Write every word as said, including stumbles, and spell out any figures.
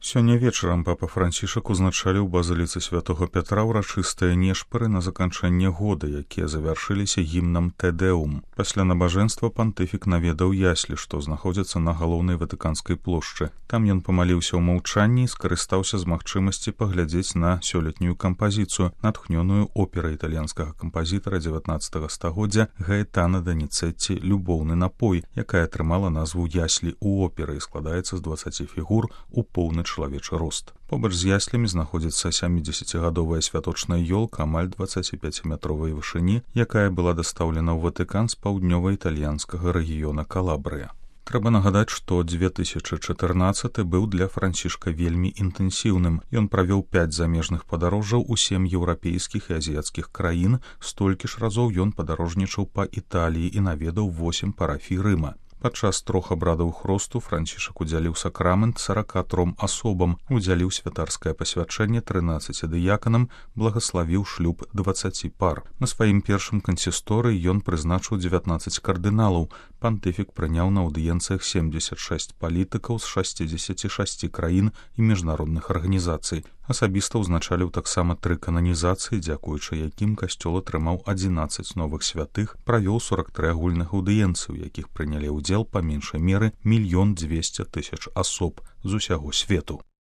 Сёння вечарам папа Францішак узначаліў базыліцы святого Пятра ўрачыстыя нешпары на заканчэнне года, якія завяршыліся гімнам Тэдэум. Пасля набажэнства пантыфік наведаў яслі, што знаходзяцца на галоўнай ватыканскай плошчы. Там ён памаліўся ў маўчанні і скарыстаўся з магчымасці паглядзець на сёлетнюю кампазіцыю, натхнёную операй італьянскага кампазітара дзевятнаццатага стагоддзя Гаэтана Даніцэцці «Любоўны напой», якая атрымала назву яслі ў оперы і складаецца з дваццаці фігур у поўны чалавечы рост. Побач з яслямі знаходзіцца сямідзесяцігадовая святочная ёлка амаль дваццаціпяціметровай вышыні, якая была дастаўлена ў Ватыкан з паўднёва-італьянскага рэгіёна Калабрыя. Трэба нагадаць, што две тысячы чатырнаццаты быў для Францішка вельмі інтэнсіўным. Ён правёў пяць замежных падарожжаў у сем еўрапейскіх і азіяцкіх краін, столькі ж разоў ён падарожнічаў па Італіі і наведаў восем парафій Рыма. Падчас трох абрадаў хросту Францішак удзяліў сакрамент сарака тром асобам, удзяліў святарскае пасвячэнне трынаццаці дыяканам, благаславіў шлюб дваццаці пар. На сваім першым кансісторы ён прызначыў дзевятнаццаць кардыналаў. Пантыфік прыняў на аўдыенцыях семдзесят шэсць палітыкаў з шасцідзесяці шасці краін і міжнародных арганізацый. Асабіста ўзначаліў таксама тры кананізацыі, дзякуючы якім касцёл атрымаў адзінаццаць новых святых, правёў сорак тры агульных аўдыенцый, у якіх прынялі ўдзел па меншай меры мільён дзвесце тысяч асоб з усяго свету.